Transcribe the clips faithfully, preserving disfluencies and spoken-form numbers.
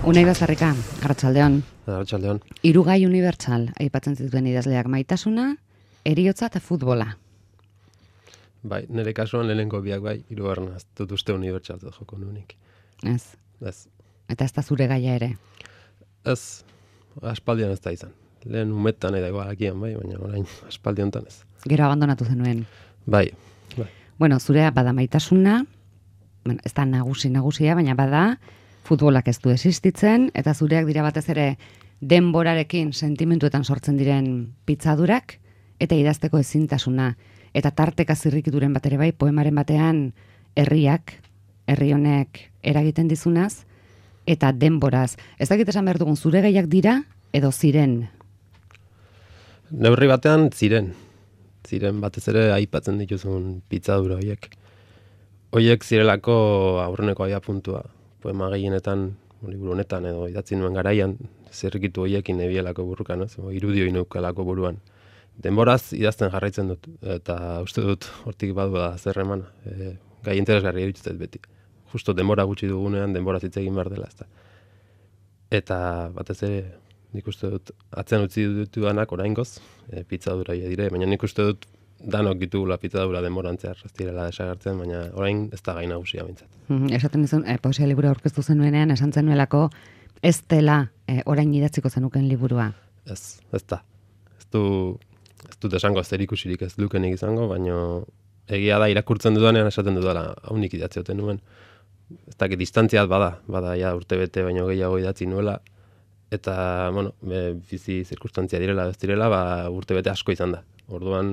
Unai Bazarrika, arratsaldeon. Arratsaldeon. Hiru gai unibertsal aipatzen zituen idazleak: maitasuna, heriotza eta futbola. Bai, nire kasuan lehenengo biak bai, hirugarrena ez dut uste unibertsaltzat joko nuenik. Ez. Ez. Eta ez da zure gaia ere. Ez, aspaldian ez da izan. Lehen umetan edo agian bai, baina orain aspaldi hontan ez. Gero abandonatu zenuen. Bai, bai. Bueno, zurea bada maitasuna, bueno, ez da nagusi nagusia, baina bada futbolak ez du existitzen, eta zureak dira batez ere denborarekin sentimentuetan sortzen diren pitzadurak, eta idazteko ezintasuna, eta tarteka zirrikituren bat ere bai, poemaren batean herriak, herri honek eragiten dizunaz, eta denboraz. Ez dakit esan behar dugun, zure gaiak dira, edo ziren? Neurri batean ziren. Ziren batez ere aipatzen dituzun pitzadura horiek. Horiek zirelako aurreneko aia puntua. Poema gehienetan, liburu honetan edo idatzi nuen garaian, zirrikitu horiekin nebielako burrukan, ez? Irudio inukalako buruan. Denboraz idazten jarraitzen dut, eta uste dut hortik badu da zer eman, e, gai interesgarri erituzet beti. Justo denbora gutxi dugunean, denboraz hitz egin behar dela, ezta. Eta batez ere, nik uste dut, atzen utzi dutudanak oraingoz, e, pitzadura dire, baina nik uste dut danok ditugula pitzadura denborantzear, ez direla desagertzen, baina orain ez da gai nagusia bintzat. Mm, esaten dizun, e, poesia liburu aurkeztu zenuenean, esan zenuelako, ez dela e, orain idatziko zenuken liburua. Ez, ez da. Ez du, ez dut esango zer ikusirik ez lukenik izango, baina egia da irakurtzen dudanean esaten dudala, haunik idatzioten nuen. Ez dakit distantziat bada, bada ja urte bete baino gehiago idatzi nuela, eta, bueno, be, bizi zirkustantzia direla, ez direla, ba, urte bete asko izan da. Orduan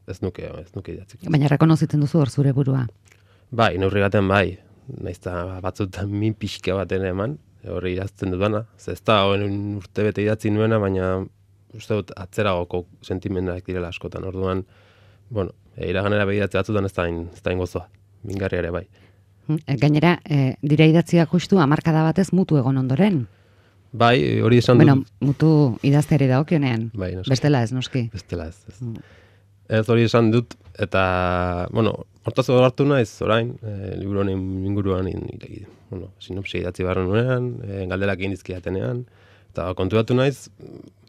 ez nuke, ez nuke idatziko. Baina rekonozitzen duzu hor zure burua? Bai, neurri baten bai, naizta batzutan min pixka baten eman, horri idazten dudana. Ez da horren urte bete idatzi nuena, baina uste dut atzeragoko sentimendak direla askotan. Orduan, bueno, e, iraganera begiratzea batzutan ez da hain, ez da hain gozoa, mingarria ere bai. Gainera, e, dira idatziak justu hamarkada batez mutu egon ondoren. Bai, hori esan bueno, dut. Bueno, mutu idazteari dagokionean. Bai, noski. Bestela ez, noski. Bestela ez, ez. Mm. Ez hori esan dut, eta, bueno, hortaz hartu naiz, orain, e, liburu honen inguruan, in, in, bueno, sinopsia idatzi barren nuenean, e, galderak egin dizkidatenean, eta konturatu naiz,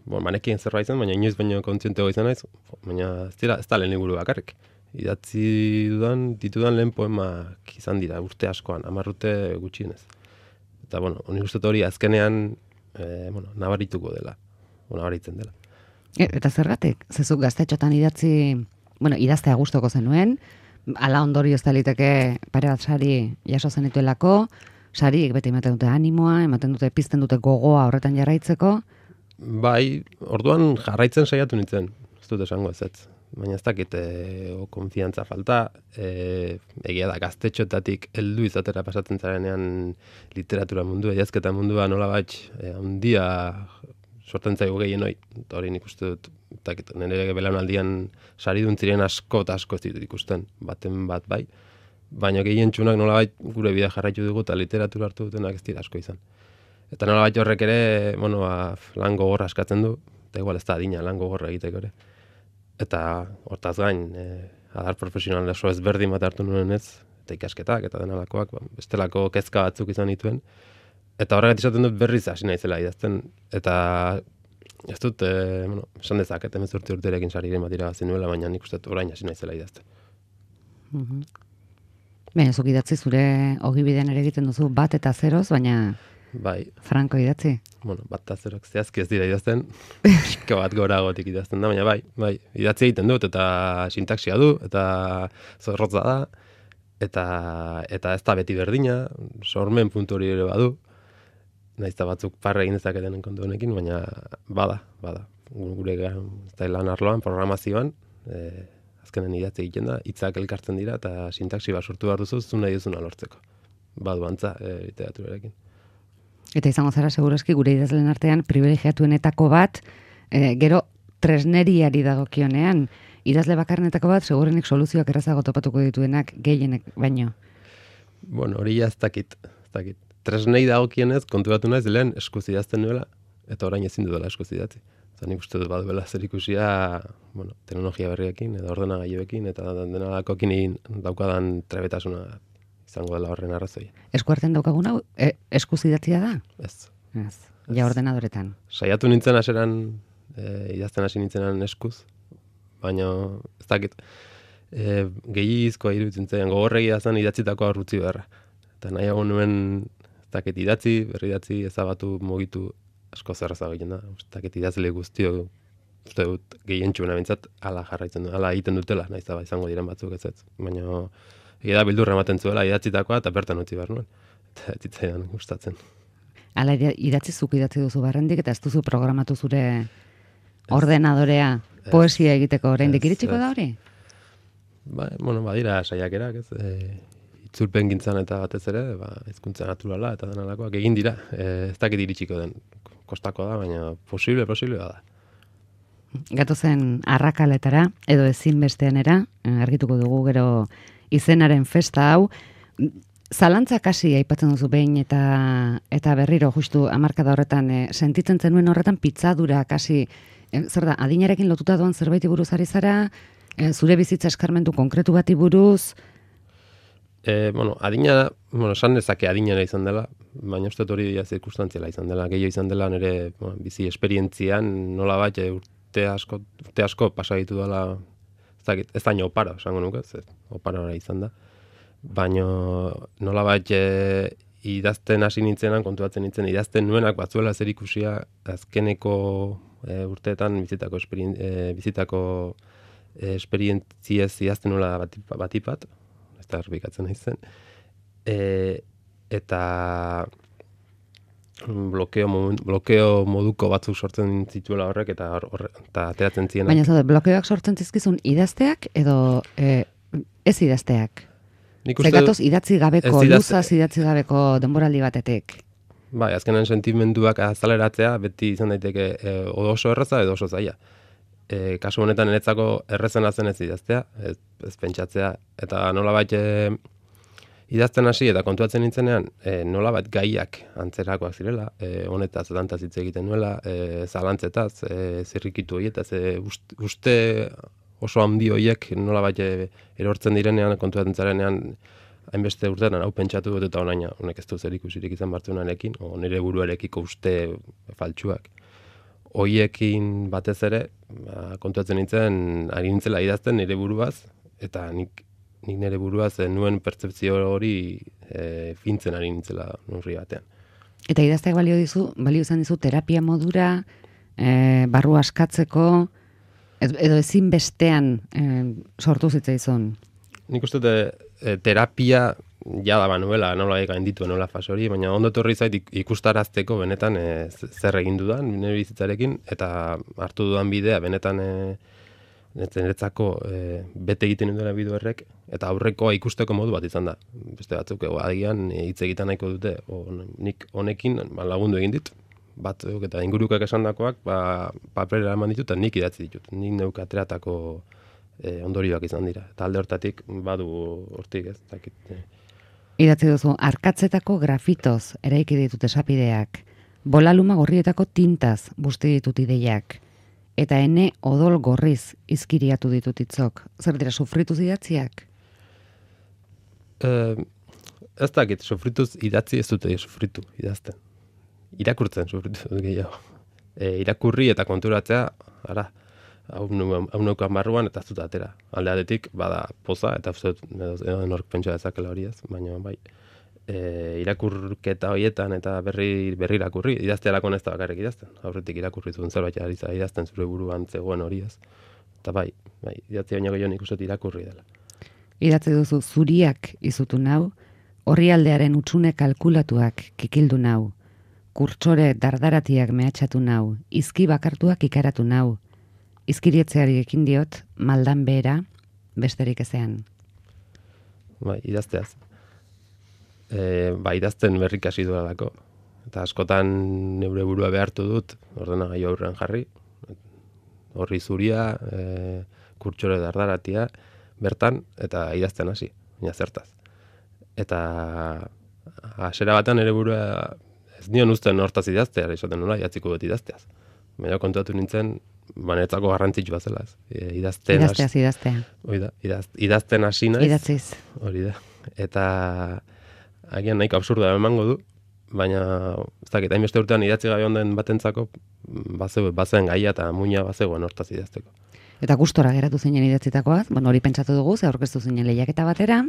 bon, manekien zerbait zen, baina inoiz baino kontzientego izan naiz, baina ez, dira, ez da lehen liburu bakarrik. Idatzi dudan, ditudan lehen poemak izan dira, urte askoan, hamar urte gutxienez. Eta, bueno, honi uste hori azkenean, e, bueno, nabarituko dela, o nabaritzen dela. E, eta zergatik? Zezuk gaztetxotan idatzi, bueno, idaztea gustoko zenuen, ala ondorio ez da liteke pare bat sari jaso zenituelako, sariek beti ematen dute animoa, ematen dute, pizten dute gogoa horretan jarraitzeko. Bai, orduan jarraitzen saiatu nintzen, ez dut esango ez ez. Baina ez dakit e, o konfiantza falta, e, egia da gaztetxotatik heldu izatera pasatzen zarenean literatura mundua, idazketa mundua nola bat, e, handia sortzen zaigu gehien hoi, eta hori nik uste dut, dakit, nire belaunaldian saridun ziren asko eta asko ez ditut ikusten, baten bat bai, baina gehien txunak nola bat gure bidea jarraitu dugu eta literatura hartu dutenak ez dira asko izan. Eta nola bat horrek ere, bueno, ba, lan gogorra askatzen du, eta igual ez da adina lan gogorra egiteko ere. Eta hortaz gain, e, adar profesional oso ezberdin bat hartu nuen ez, eta ikasketak eta denalakoak, ba, bestelako kezka batzuk izan dituen. Eta horregat izaten dut berriz hasi naizela idazten, eta ez dut, e, bueno, esan dezaket, hemezortzi urterekin sariren bat irabazi nuela, baina nik uste dut orain hasi naizela idazten. Mm-hmm. Baina, zuk idatzi zure ogibidean ere egiten duzu bat eta zeroz, baina bai. Franko idatzi? Bueno, bat eta zerok zehazki ez dira idazten, pixka bat goragotik idazten da, baina bai, bai, idatzi egiten dut, eta sintaksia du, eta zorrotza da, eta, eta ez da beti berdina, sormen puntu hori ere badu, nahiz eta batzuk parra egin dezaketen kontu honekin, baina bada, bada. Gure lan arloan, programazioan, e, azkenen idatzi egiten da, hitzak elkartzen dira, eta sintaxi bat sortu behar duzu, zu nahi duzuna lortzeko. Badu antza, e, literaturarekin. Eta izango zara, segurazki, gure idazlen artean, privilegiatuenetako bat, e, gero tresneriari dagokionean, idazle bakarrenetako bat, segurenik soluzioak errazago topatuko dituenak gehienek baino. Bueno, hori ez dakit, ez dakit. Tresnei dagokienez, konturatu naiz lehen eskuz idazten nuela, eta orain ezin dudala eskuz idatzi. Eta nik uste dut baduela zer ikusia, bueno, teknologia berriekin, edo ordenagailuekin, eta denalakoekin daukadan trebetasuna izango dela horren arrazoia. Eskuartean daukaguna, e, eskuz idatzia da? Ez, Ez, ja ordenadoretan. Saiatu nintzen haseran, e, idazten hasi nintzenan eskuz, baina ez dakit, e, gehiagizkoa iruditzen zen, gogorregi idazten idatzitako aurrutzi beharra. Eta nahiago nuen, ez dakit idatzi, berri idatzi, ezabatu, mugitu, asko zerraza egiten da. Ez dakit idazle guztio, uste dut, gehientxuna bintzat, ala jarraitzen du, ala egiten dutela, nahiz da izango diren batzuk ez ez. Baina, egia da bildurra ematen zuela, idatzitakoa, eta bertan utzi behar nuen. Eta zitzaidan gustatzen. Hala idatzi zuk idatzi duzu barrendik, eta ez duzu programatu zure ordenadorea poesia egiteko oraindik iritsiko da hori? Ba, bueno, badira saiakerak, ez, e, itzulpen gintzan eta batez ere, ba, hizkuntza naturala eta denalakoak egin dira. E, ez dakit iritsiko den, kostako da, baina posible, posible da. Gatozen arrakaletara, edo ezinbesteanera, argituko dugu gero izenaren festa hau, zalantza kasi aipatzen duzu behin eta eta berriro justu hamarkada horretan e, sentitzen zenuen horretan pitzadura kasi, e, zer da, adinarekin lotuta doan zerbaiti buruz ari zara, e, zure bizitza eskarmentu konkretu bati buruz? E, bueno, adina, bueno, esan dezake adinera izan dela, baina uste hori ja zirkustantziala izan dela, gehiago izan dela nire bueno, bizi esperientzian, nola bat, urte asko, urte asko pasa ditu dela, ez dakit, ez daño opara, esango nuke, ez, opara izan da. Baina nola bat e, idazten hasi nintzenan, kontuatzen nintzen, idazten nuenak batzuela zer ikusia azkeneko e, urteetan bizitako, esperien, e, bizitako e, esperientziez idazten nuela batipat, batipat, ez da erbikatzen nahi zen, e, eta blokeo, blokeo moduko batzuk sortzen zituela horrek, eta, horre, eta ateratzen zienak. Baina zaude, blokeoak sortzen zizkizun idazteak edo e, ez idazteak? Zegatoz idatzi gabeko, luzaz idatzi gabeko denboraldi batetik. Bai, azkenan sentimenduak azaleratzea beti izan daiteke e, oso erraza edo oso zaila. E, kasu honetan niretzako errezena zen ez idaztea, ez, ez pentsatzea, eta nolabait e, idazten hasi eta kontuatzen nintzenean, e, nolabait gaiak antzerakoak zirela, e, honetaz dantaz hitz egiten nuela, e, zalantzetaz, e, zirrikitu horietaz, e, uste, uste oso handi horiek nolabait erortzen direnean, kontuatzen zarenean, hainbeste urtean hau pentsatu dut eta onaina, honek ez du zer ikusirik izan bartzunarekin, o nire buruarekiko uste faltsuak. Hoiekin batez ere, ba, kontuatzen nintzen, ari nintzela idazten nire buruaz, eta nik, nik nire buruaz nuen pertzepzio hori e, fintzen ari nintzela nurri batean. Eta idazteak balio dizu, balio izan dizu terapia modura, e, barru askatzeko, edo ezin bestean e, sortu zitzaizun? Nik uste dut e, terapia jada banuela, nola egain ditu nola fase hori, baina ondo etorri zait ikustarazteko benetan e, zer egin dudan nire bizitzarekin, eta hartu dudan bidea benetan e, niretzako e, bete egiten duen bide horrek, eta aurrekoa ikusteko modu bat izan da. Beste batzuk ego agian hitz egiten nahiko dute, o, nik honekin ba, lagundu egin dit, batzuk eta ingurukak esandakoak ba, paperera eman ditut, eta nik idatzi ditut. Nik neuk ateratako e, ondorioak izan dira. Eta alde hortatik badu hortik ez. Dakit, e. Idatzi duzu, arkatzetako grafitoz eraiki ditut esapideak, bolaluma gorrietako tintaz busti ditut ideiak, eta ene odol gorriz izkiriatu ditut itzok. Zer dira, sufrituz idatziak? E, ez dakit, sufrituz idatzi ez dute sufritu idazten. Irakurtzen sufritu gehiago. E, irakurri eta konturatzea, ara, hau neukan barruan eta ez dut atera. Aldeadetik, bada poza, eta edo nork pentsa dezakela hori ez, baina bai, e, irakurketa horietan eta berri, berri irakurri, idaztealako ez da bakarrik idazten. Aurretik irakurri zuen zerbait ari idazten zure buruan zegoen hori ez. Eta bai, bai idatzi baino gehiago nik uste irakurri dela. Idatzi duzu, zuriak izutu nau, orrialdearen utxune kalkulatuak kikildu nau, kurtsore dardaratiak mehatxatu nau, izki bakartuak ikaratu nau, izkirietzeari ekin diot, maldan behera, besterik ezean. Bai, idazteaz. E, ba, idazten berrik hasi duelako. Eta askotan neure burua behartu dut, ordenagailu aurrean jarri, horri zuria, e, kurtsore dardaratia, bertan, eta idazten hasi, baina zertaz. Eta hasiera batean ere burua ez nion uzten hortaz idaztea, esaten nola, jatziko dut idazteaz. Baina kontuatu nintzen, banetzako garrantzitsua zela ez. E, idazten idazteaz, has... idaztea. Hori da, idaz, idazten hasi naiz. Idatziz. Hori da. Eta agian nahiko absurda emango du, baina ez dakit, hainbeste urtean idatzi gabe onden batentzako bazeu, bazen gaia eta muina bazegoen hortaz idazteko. Eta gustora geratu zinen idatzitakoaz, bueno, hori pentsatu dugu, ze aurkeztu zinen lehiaketa batera,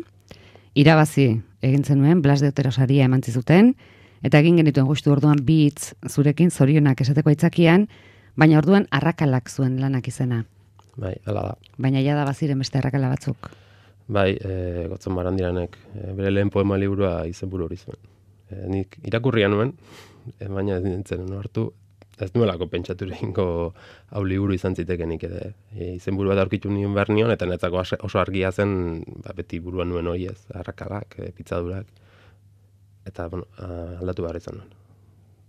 irabazi egin zenuen, Blas de Otero saria eman zizuten, eta egin genituen justu orduan bi hitz zurekin zorionak esateko aitzakian, baina orduan arrakalak zuen lanak izena. Bai, hala da. Baina ja da baziren beste arrakala batzuk. Bai, e, Gotzon Barandiranek e, bere lehen poema liburua izenburu hori zuen. E, nik irakurria nuen, e, baina ez nintzen hartu, ez nuelako pentsatu egingo hau liburu izan zitekenik ere. E, izenburu bat aurkitu nien behar nion, eta netzako oso argia zen, ba, beti buruan nuen hori ez, arrakalak, e, pitzadurak, eta bueno, aldatu behar izan nuen.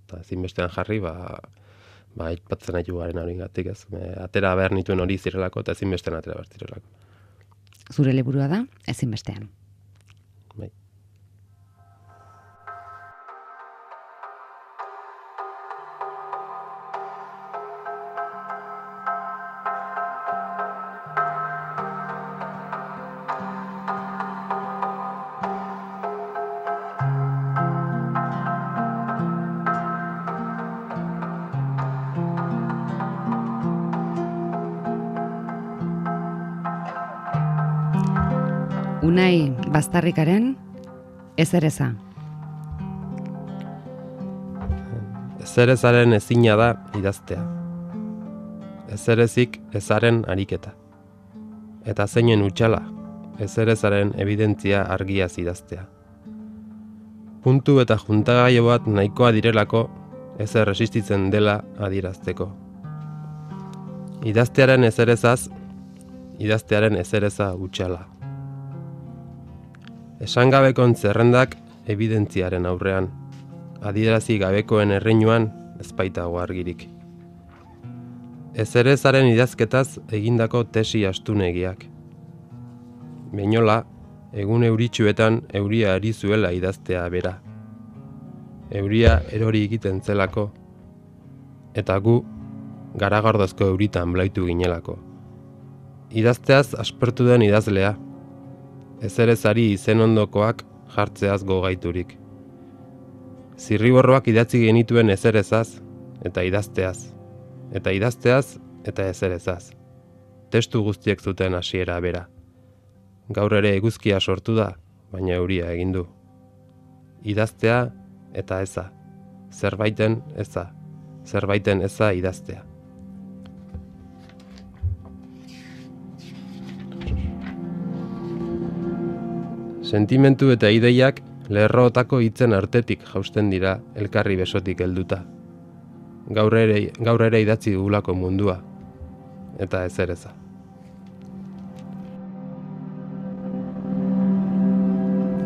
Eta ezinbestean jarri, ba, ba, itpatzen haitu garen hori gatik ez. E, atera behar nituen hori zirelako, eta ezinbestean atera behar zirelako. Zure liburua da, ezinbestean. Bai. Unai Bastarrikaren ezereza. Ezerezaren ezina da idaztea. Ezerezik ezaren ariketa. Eta zeinen utxala, ezerezaren evidentzia argiaz idaztea. Puntu eta juntagaio bat nahikoa direlako ezer resistitzen dela adierazteko. Idaztearen ezerezaz, idaztearen ezereza utxala. Esangabekon zerrendak evidentziaren aurrean, adierazi gabekoen erreinuan ezpaitago argirik. Ezerezaren idazketaz egindako tesi astunegiak. Beinola, egun euritsuetan euria ari zuela idaztea bera. Euria erori egiten zelako, eta gu garagardozko euritan blaitu ginelako. Idazteaz aspertu den idazlea, ezerezari izen ondokoak jartzeaz gogaiturik. Zirriborroak idatzi genituen ezerezaz eta idazteaz, eta idazteaz eta ezerezaz. Testu guztiek zuten hasiera bera. Gaur ere eguzkia sortu da, baina euria egin du. Idaztea eta eza, zerbaiten eza, zerbaiten eza idaztea. Sentimentu eta ideiak lerrootako hitzen artetik jausten dira elkarri besotik helduta. Gaur ere, gaur ere idatzi dugulako mundua, eta ezereza.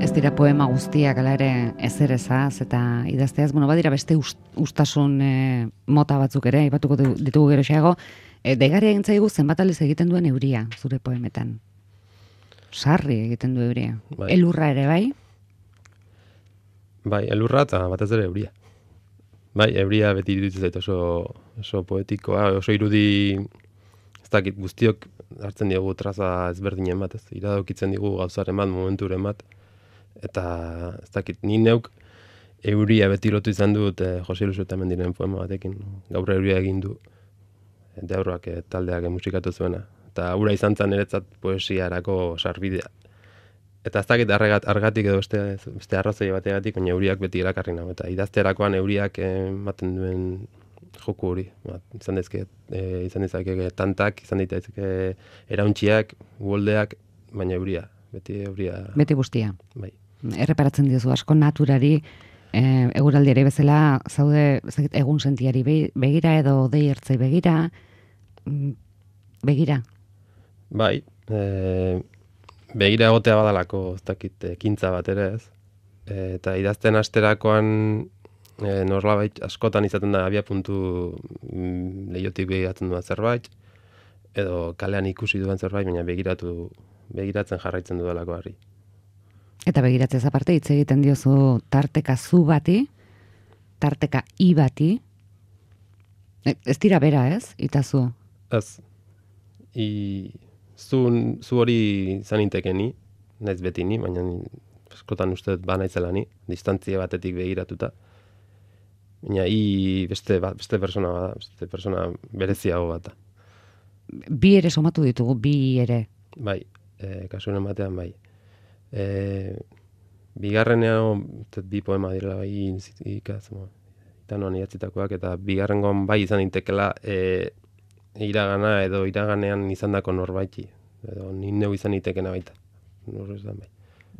Ez dira poema guztiak ala ere ezerezaz eta idazteaz, bueno, badira beste ust, ustasun e, mota batzuk ere, aipatuko ditugu geroxeago, e, deigarria egin zaigu zenbat aldiz egiten duen euria zure poemetan. Sarri egiten du euria. Bai. Elurra ere, bai? Bai, elurra eta batez ere euria. Bai, euria beti iruditzen zait oso, oso poetikoa, oso irudi, ez dakit, guztiok hartzen diogu traza ezberdinen bat, ez, iradokitzen digu gauzaren bat, momenturen bat, eta ez dakit, ni neuk euria beti lotu izan dut eh, Jose Luis Otamendiren poema batekin, gaur euria egin du, deabroak eh, taldeak musikatu zuena. Eta ura izan zen niretzat poesiarako sarbidea. Eta ez dakit argatik edo beste, beste arrazoi bategatik, baina euriak beti erakarri nago. Eta idazterakoan euriak ematen duen joku hori. Ba, izan dezke, e, izan dezake tantak, izan daitezke erauntxiak, uoldeak, baina euria. Beti euria. Beti guztia. Bai. Erreparatzen diozu asko naturari, e, eguraldiari bezala, zaude zakit, egun sentiari begira edo dei ertzei begira, begira. Bai, e, begira egotea badalako, ez dakit, ekintza bat ere ez. E, eta idazten asterakoan e, norbait askotan izaten da abia puntu mm, lehiotik begiratzen duen zerbait, edo kalean ikusi duen zerbait, baina begiratu, begiratzen jarraitzen dudalako harri. Eta begiratzez aparte hitz egiten diozu tarteka zu bati, tarteka i bati, e, ez dira bera ez, itazu? Ez, i... Zu, zu hori izan intekeni, naiz beti ni, baina askotan uste ba naizela ni, distantzia batetik begiratuta. Baina i beste, bat, beste persona bada, beste persona bereziago bat da. Bi ere somatu ditugu, bi ere. Bai, e, kasuren batean bai. E, bigarrenean, bi poema direla bai ikaz, itanoan idatzitakoak, eta bigarrengoan bai izan intekela e, iragana edo iraganean izandako norbaiti. Edo ni neu izan itekena baita. Norrezan bai.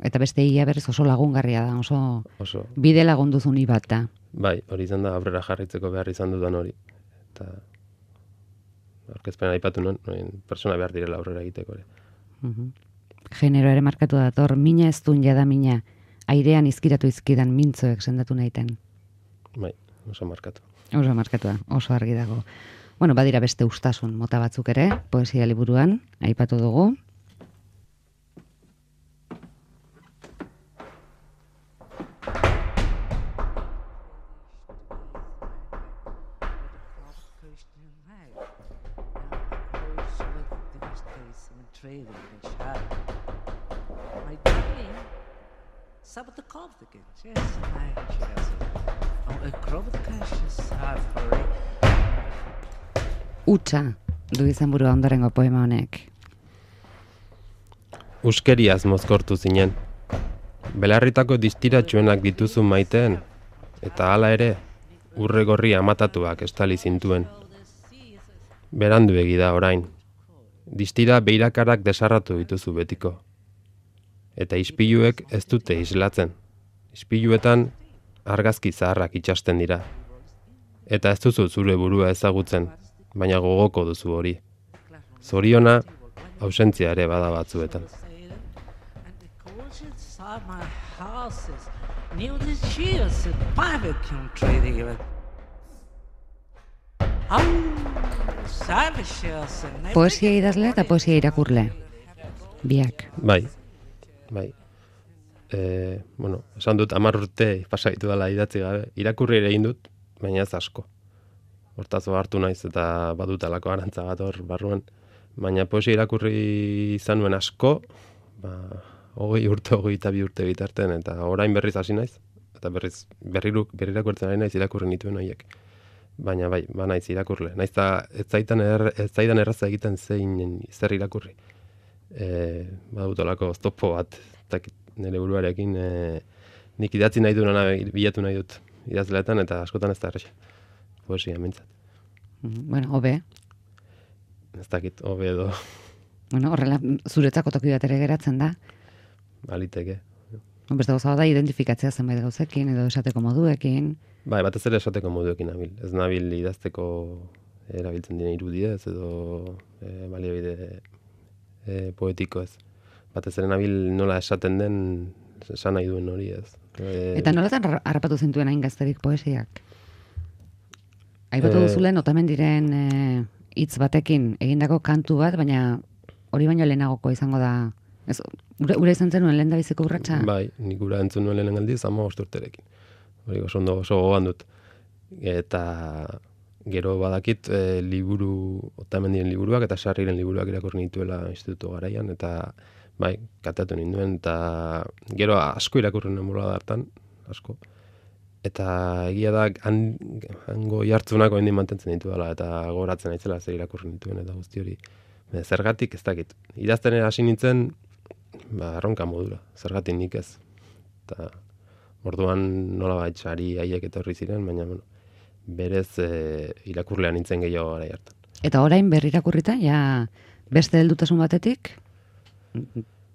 Eta beste ia berriz oso lagungarria da, oso, oso bide lagunduzun bat da. Bai, hori izan da aurrera jarritzeko behar izan dudan hori. Eta aurkezpena aipatu nuen, persona behar direla aurrera egiteko ere. Uh-huh. Genero ere markatu dator, mina ez duen jada mina, airean izkiratu izkidan mintzoek sendatu nahiten. Bai, oso markatu. Oso markatu da, oso argi dago. Bueno, badira beste ustasun mota batzuk ere, poesia liburuan, aipatu dugu. Utsa du izan burua ondorengo poema honek. Uskeriaz mozkortu zinen. Belarritako distiratsuenak dituzu maiteen, eta hala ere, urre gorri amatatuak estali zintuen. Berandu da orain. Distira beirakarak desarratu dituzu betiko. Eta ispiluek ez dute islatzen. Ispiluetan argazki zaharrak itxasten dira. Eta ez duzu zure burua ezagutzen, baina gogoko duzu hori. Zoriona, ausentzia ere bada batzuetan. Poesia idazle eta poesia irakurle. Biak. Bai, bai. E, bueno, esan dut hamar urte pasaitu dela idatzi gabe. Irakurri ere egin dut, baina ez asko. Hortaz hartu naiz eta badutalako arantza bat hor barruan. Baina poesia irakurri izan nuen asko, ba, hogei urte, hogei eta bi urte bitarten, eta orain berriz hasi naiz. Eta berriz, berriruk, berrirakurtzen ari naiz irakurri nituen horiek. Baina bai, ba naiz irakurle. Naiz eta ez zaitan, er, ez zaidan erraza egiten zein zer irakurri. E, badutolako oztopo bat, eta nire buruarekin e, nik idatzi nahi duena bilatu nahi dut idazleetan, eta askotan ez da erresa. Poesia, mintzat. Bueno, hobe. Ez dakit, hobe edo. Bueno, horrela, zuretzako toki bat ere geratzen da. Baliteke. Beste gauza da, identifikatzea zenbait gauzekin, edo esateko moduekin. Bai, batez ere esateko moduekin nabil. Ez nabil idazteko erabiltzen dira irudiez, edo e, baliabide e, poetiko ez. Batez ere nabil nola esaten den, esan nahi duen hori ez. E, Eta nolatan harrapatu zintuen hain gazterik poesiak? Aipatu e, duzulen, otamen diren hitz batekin egindako kantu bat, baina hori baino lehenagoko izango da. Ez, ura, ura izan zenuen lehen da biziko urratxa? Bai, nik ura entzun nuen lehen aldiz, ama osturterekin. Hori oso ondo oso gogoan dut. Eta gero badakit e, liburu, otamen diren liburuak eta sarriren liburuak irakurri nituela institutu garaian, eta bai, kateatu ninduen, eta gero asko irakurri nuen bola hartan, asko. Eta egia da, hango jartzunako hendi mantentzen ditu dela, eta gogoratzen aitzela zer irakurri nituen, eta guzti hori. Zergatik ez dakit. Idazten hasi nintzen, ba, erronka modura. Zergatik nik ez. Eta orduan nola baitz ari haiek etorri ziren, baina bueno, berez e, irakurlean nintzen gehiago gara hartan. Eta orain berri irakurrita, ja beste heldutasun batetik,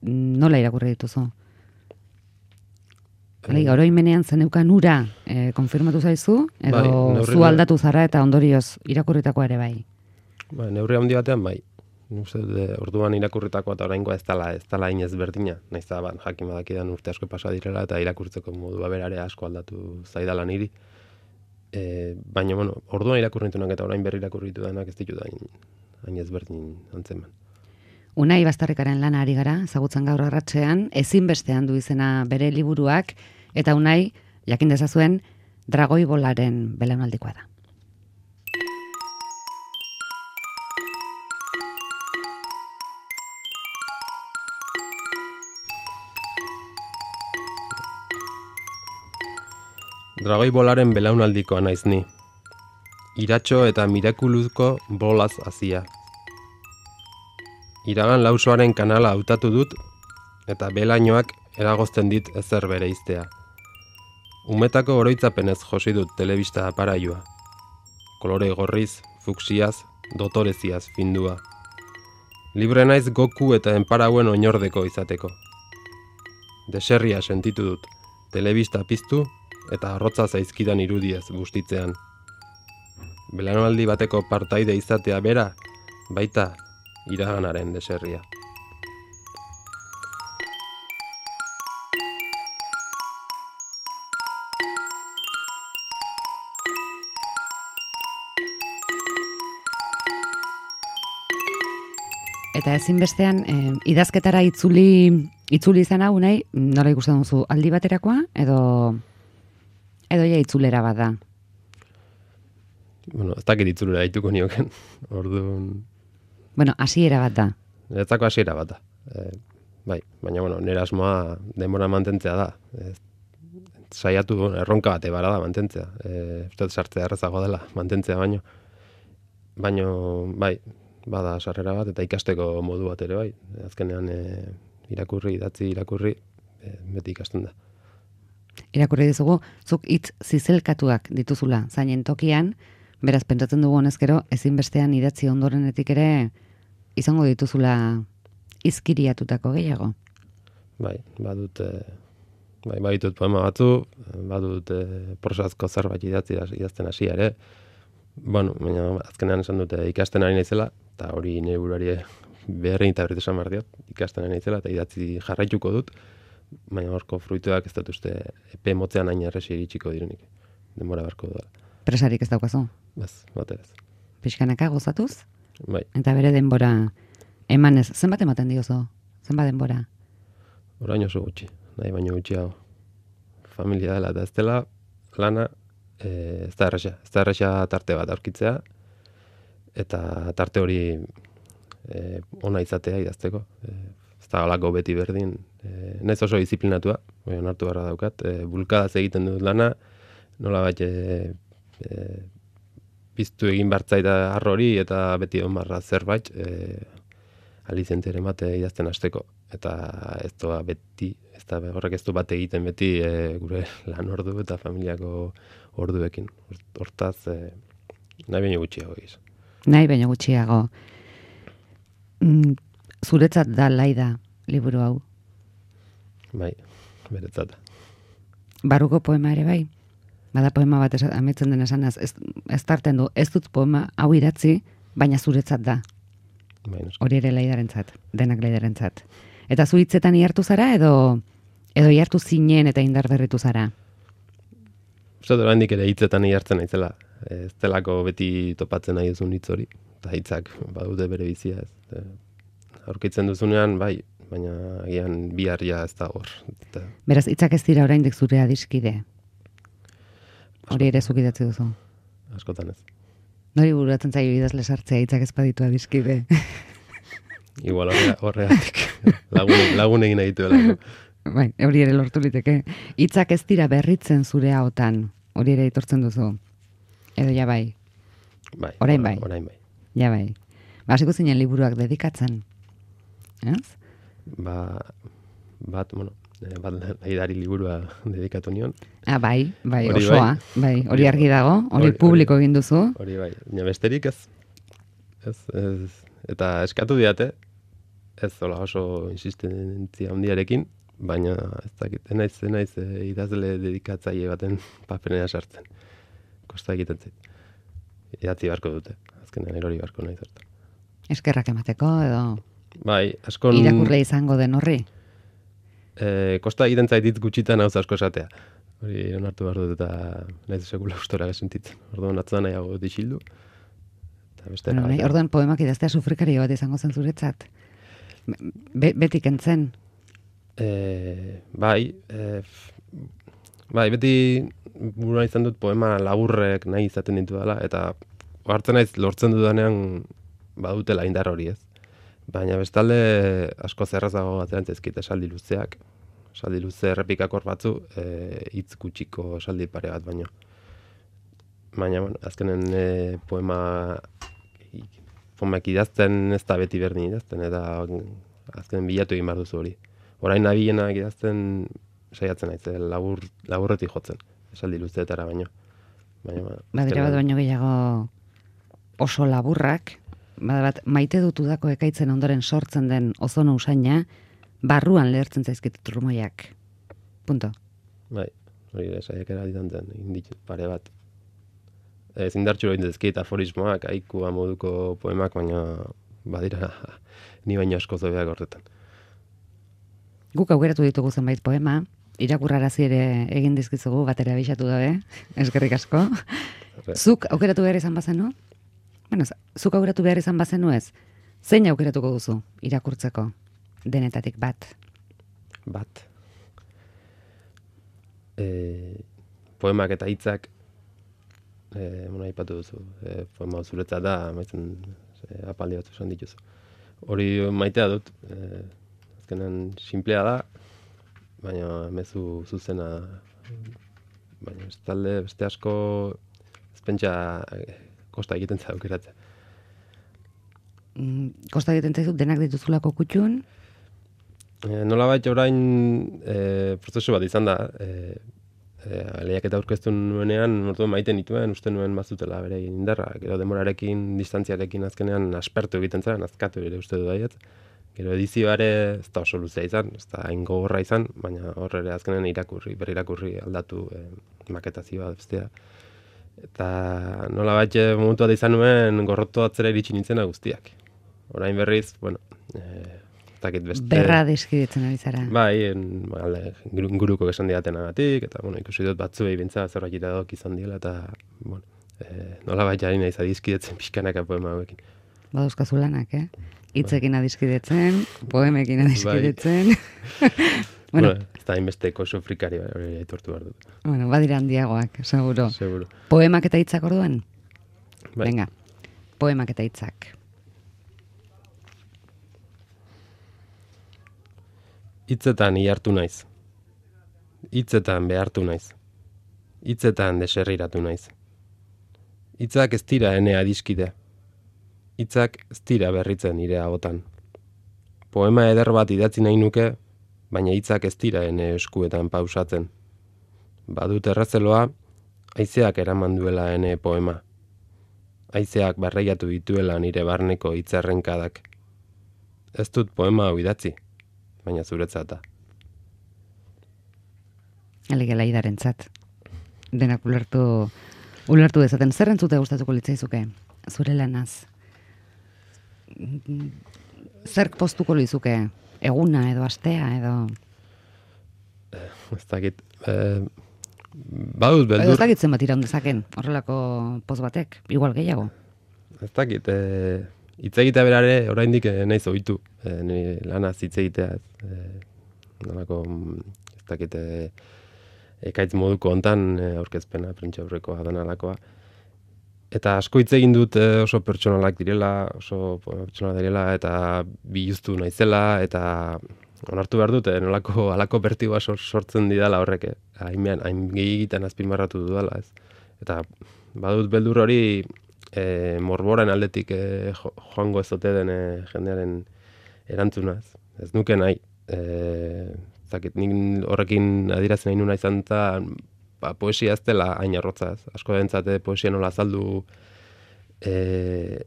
nola irakurri dituzu? Bai, oroimenean zeneukan ura e, konfirmatu zaizu, edo bai, neurri, zu aldatu zara eta ondorioz irakurritakoa ere bai? Bai, neurri handi batean bai. Uste dut, orduan irakurritakoa eta oraingoa ez dela, ez dela inez berdina. Naiz da, ban, jakin badakidan urte asko pasa direla eta irakurtzeko modua berare asko aldatu zaidala niri. E, baina, bueno, orduan irakurritunak eta orain berri irakurritu denak ez ditut hain ez berdin antzeman. Unai Bastarrikaren lana ari gara, ezagutzen gaur arratsean, ezinbestean du izena bere liburuak, eta Unai, jakin dezazuen, dragoi bolaren belaunaldikoa da. Dragoi bolaren belaunaldikoa naiz ni. Iratxo eta mirakuluzko bolaz hazia. Iragan lausoaren kanala hautatu dut, eta belainoak eragozten dit ezer bere iztea. Umetako oroitzapenez josi dut telebista aparailua. Kolore gorriz, fuksiaz, dotoreziaz findua. Libre naiz Goku eta enparauen oinordeko izateko. Deserria sentitu dut, telebista piztu eta arrotza zaizkidan irudiez bustitzean. Belaunaldi bateko partaide izatea bera, baita iraganaren deserria. Eta ezinbestean, eh, idazketara itzuli, itzuli izan hau nahi, nola ikusten duzu, aldi baterakoa, edo, edo ja itzulera bat da? Bueno, ez dakit itzulera haituko nioken, orduan... Bueno, hasiera bat da. Niretzako hasiera bat da. E, bai, baina, bueno, nire asmoa denbora mantentzea da. E, saiatu erronka bate bara da mantentzea. E, uste sartzea errezago dela mantentzea baino. Baina, bai, bada sarrera bat eta ikasteko modu bat ere bai. Azkenean e, irakurri, idatzi, irakurri, e, beti ikasten da. Irakurri dizugu, zuk hitz zizelkatuak dituzula zainen tokian, beraz, pentsatzen dugu honezkero, ezinbestean idatzi ondorenetik ere izango dituzula izkiriatutako gehiago. Bai, badut, e, bai, baditut poema batzu, badut e, prosazko zerbait idatzi idazten hasi ere. Bueno, baina azkenean esan dute ikasten ari naizela, eta hori nire buruari beharrein eta berritu esan behar diot, ikasten ari naizela, eta idatzi jarraituko dut, baina horko fruituak ez dut uste epe motzean hain erresi iritsiko direnik. Denbora beharko da. Presarik ez daukazu? Bez, bate ez. Pixkanaka gozatuz? Bai. Eta bere denbora emanez, zenbat ematen diozu? Zenbat denbora? Orain oso gutxi, nahi baino gutxiago. Familia dela eta ez dela, lana, e, ez da erresa. Ez da erresa tarte bat aurkitzea, eta tarte hori e, ona izatea idazteko. E, ez da galako beti berdin. E, naiz oso disiplinatua, onartu beharra daukat. E, bulkadaz egiten dut lana, nola bat e, e, piztu egin bartzaita arrori eta beti on barra zerbait e, alizentzere mate idazten hasteko. Eta ez doa beti, ez da horrek ez du bat egiten beti e, gure lan ordu eta familiako orduekin. Hortaz, e, nahi baino gutxiago egiz. Nahi baino gutxiago. Mm, zuretzat da laida liburu hau? Bai, beretzat. Barruko poema ere bai? Bada poema bat ametzen den esanaz, ez, ez tarten du, ez dut poema hau idatzi, baina zuretzat da. Bai, hori ere laidarentzat, denak laidarentzat. Eta zu hitzetan ihartu zara, edo edo ihartu zinen eta indar berritu zara? Uste dut handik ere hitzetan ihartzen naizela. Ez delako beti topatzen nahi duzun hitz hori. Eta hitzak badute bere bizia ez. Aurkitzen duzunean, bai, baina agian biharria ez da hor. Eta... Beraz, hitzak ez dira oraindik zure adiskide? Hori ere zuk idatzi duzu? Askotan ez. Nori bururatzen zaio idazle sartzea hitzak ez baditu adiskide? Igual horregatik. lagun, lagun egin nahi dituela. Bai, hori ere lortu liteke. Hitzak ez dira berritzen zure ahotan. Hori ere aitortzen duzu. Edo ja bai. Bai. Orain bai. Orain bai. Ja bai. Ba, hasiko zinen liburuak dedikatzen. Ez? Ba, bat, bueno, bat laidari liburua dedikatu nion. Ah, bai, bai, Hori osoa. Bai, hori argi dago, hori publiko egin duzu. Hori bai, baina besterik ez. Ez, ez. Eta eskatu diate, ez zola oso insistentzia handiarekin, baina ez dakit, enaiz, enaiz e, idazle dedikatzaile baten paperena sartzen. Kosta egiten zait. Idatzi barko dute, azkenean erori barko nahi zertan. Eskerrak emateko, edo bai, askon... irakurle izango den horri? E, kosta egiten zait hitz gutxitan hau asko esatea. Hori onartu behar dut eta nahiz sekula ustora sentitzen. Orduan atzuan nahiago dixildu. Bueno, nahi, orduan poemak idaztea sufrikario bat izango zen zuretzat. Be, beti kentzen? E, bai, e, bai, beti burua izan dut poema laburrek nahi izaten ditu dela, eta hartzen naiz lortzen dudanean badutela indar hori ez. Baina bestalde asko zerrazago atzerantzezkit esaldi luzeak, esaldi luze errepikakor batzu, e, hitz gutxiko esaldi pare bat baino. Baina, bueno, azkenen e, poema poemak idazten ez da beti berdin idazten, eta azkenen bilatu egin behar duzu hori. Orain nabilenak idazten saiatzen naiz, labur, laburretik jotzen, esaldi luzeetara baino. Baina, badira bat baino gehiago oso laburrak, bat maite dutu dako ekaitzen ondoren sortzen den ozono usaina, barruan lehertzen zaizkit trumoiak. Punto. Bai, hori da, saiakera ditan zen, indit pare bat. Ez indartxu hori dezkit aforismoak, aikua moduko poemak, baina badira ni baino asko zobeak horretan. Guk aukeratu ditugu zenbait poema, irakurrarazi ere egin dizkizugu, batera abixatu dabe, eskerrik asko. Zuk aukeratu behar izan bazenu? Bueno, zuk aukeratu behar izan bazenu ez? Zein aukeratuko duzu irakurtzeko? Denetatik bat. Bat. E, poemak eta hitzak e, mona ipatu duzu. E, poema zuretzat da, maitzen e, apaldi batzu esan dituzu. Hori maitea dut. E, azkenan simplea da, baina mezu zuzena, baina ez talde beste asko ez pentsa kosta egiten za aukeratzea. Mm, kosta egiten zaizu denak dituzulako kutxun? E, nola baita orain e, prozesu bat izan da, e, e, lehiaketa aurkeztu nuenean, orduan maiten nituen, uste nuen bazutela bere indarra, gero demorarekin, distantziarekin azkenean aspertu egiten zaren, azkatu ere uste du daiet. Gero edizioa ere ez da oso luzea izan, ez da hain gogorra izan, baina horre ere azkenen irakurri, berrirakurri aldatu e, maketazioa bestea. Eta nola bat momentu bat izan nuen gorroto atzera iritsi nintzena guztiak. Orain berriz, bueno, e, ez dakit beste... Berra deskiditzen ari zara. Bai, alde, guruko esan diatenagatik, eta bueno, ikusi dut batzuei bintza zerbait iradok izan diela, eta bueno, e, nola bat jari nahiz adizkidetzen pixkanaka poema hauekin. Badauzkazu lanak, eh? Hitzekin adiskidetzen, poemekin adiskidetzen. Bai. bueno, bueno, ez da inbesteko sofrikari hori aitortu behar dut. Bueno, badira handiagoak, seguro. Seguro. Poemak eta hitzak orduan? Bai. Venga, poemak eta hitzak. Hitzetan ihartu naiz. Hitzetan behartu naiz. Hitzetan deserriratu naiz. Hitzak ez dira ene adiskide. Hitzak ez dira berritzen nire ahotan. Poema eder bat idatzi nahi nuke, baina hitzak ez dira ene eskuetan pausatzen. Badut errezeloa, haizeak eraman duela ene poema. Haizeak barreiatu dituela nire barneko hitzerrenkadak. Ez dut poema hau idatzi, baina zuretzat da. Alegela idarentzat. Denak ulertu, ulertu dezaten. Zer entzute gustatuko litzaizuke? Zure lanaz. Zerk postuko lizuke? Eguna edo astea edo... Ez dakit... Eh, badut beldur... Edo ez dakit zenbat iraun dezaken, horrelako poz batek, igual gehiago. Ez dakit... Eh, hitz egitea berare oraindik eh, naiz ohitu. Eh, nire lanaz hitz egitea. Eh, nolako... Ez dakit... Eh, ekaitz moduko hontan eh, aurkezpena, prentsaurrekoa, danalakoa. Eta asko hitz egin dut eh, oso pertsonalak direla, oso pertsonalak direla, eta biluztu naizela, eta onartu behar dut, eh, nolako alako bertigoa sortzen didala horrek, eh. hain, hain gehiagitan azpimarratu dudala, ez. Eta badut beldur hori eh, morboren aldetik eh, joango ez ote den eh, jendearen erantzunaz. Ez nuke nahi. Eh, zakit, nik horrekin adierazten nahi nuna izan eta ba, poesia ez dela hain arrotzaz. Asko dentzate poesia nola azaldu e,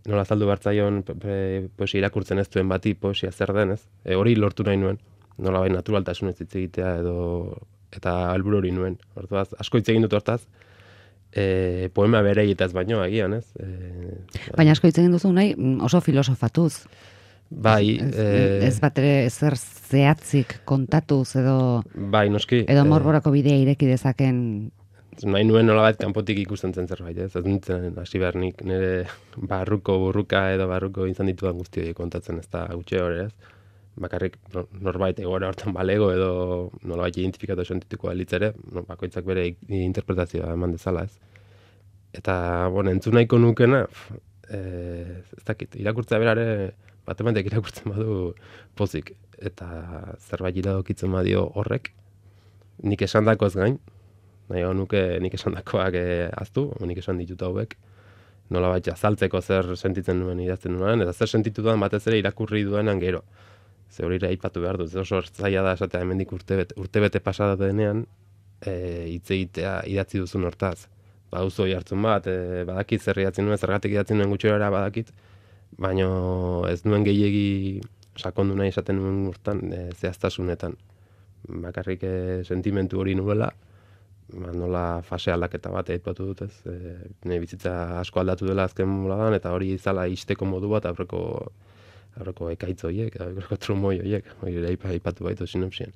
nola azaldu bartzaion poesia irakurtzen ez duen bati poesia zer den, ez? E, hori lortu nahi nuen. Nola bai naturaltasunez hitz egitea edo eta helburu hori nuen. Hortaz, asko hitz egin dut hortaz. E, poema bereietaz baino agian, ez? E, Baina asko hitz egin duzu nahi oso filosofatuz. Bai, ez, eh, ez bat ere ezer zehatzik kontatuz edo bai, noski, edo morborako bidea ireki dezaken. Nahi nuen nolabait kanpotik ikusten zen zerbait, ez? Ez nintzen hasi behar nik nire barruko burruka edo barruko izan ditudan guzti horiek kontatzen, ez da gutxe hori, ez? Bakarrik norbait egoera hortan balego edo nolabait identifikatu sentituko alitzere, no, bakoitzak bere interpretazioa eman dezala, ez? Eta, bueno, entzun nahiko nukena, eh, ez dakit, irakurtzea berare bat ematek irakurtzen badu pozik, eta zerbait iradokitzen badio horrek, nik esan dakoz gain, nahi nuke nik esan dakoak eh, aztu, nik esan ditut hauek, nola baita azaltzeko zer sentitzen nuen idazten nuen, eta zer sentitu duan batez ere irakurri duenan gero. Ze hori aipatu behar dut, oso zaila da esatea hemendik urtebete, urtebete pasada denean, hitz egitea idatzi duzun hortaz. Ba, uzo jartzen bat, e, badakit zer idatzen nuen, zergatik idatzen nuen gutxera badakit, baina ez nuen gehiegi sakondu nahi esaten nuen urtan e, zehaztasunetan. Bakarrik e, sentimentu hori nuela, ba, nola fase aldaketa bat aipatu dut ez. E, nire bizitza asko aldatu dela azken moladan, eta hori izala isteko modu bat aurreko, aurreko ekaitz horiek, aurreko trumoi horiek, hori aipatu baitu sinopsien.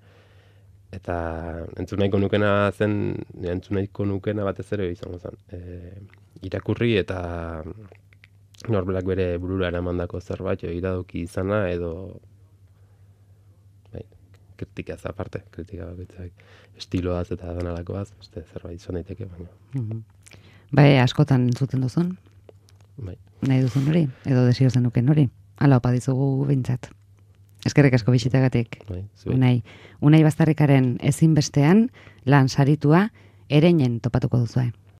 Eta entzun nahiko nukena zen, entzun nahiko nukena batez ere izango zen. E, irakurri eta norberak bere burura eramandako zerbait, iradoki izana edo bai, kritikaz aparte, kritika bakoitzak estiloaz eta danalakoaz, beste zerbait izan daiteke, baina. Mm-hmm. Bai, askotan entzuten duzun? Bai. Nahi duzun hori, edo desio zenuken hori? Hala opa dizugu bintzat. Eskerrik asko bisitagatik. Bai, Unai, Unai Baztarrikaren ezinbestean lan saritua ereinen topatuko duzue.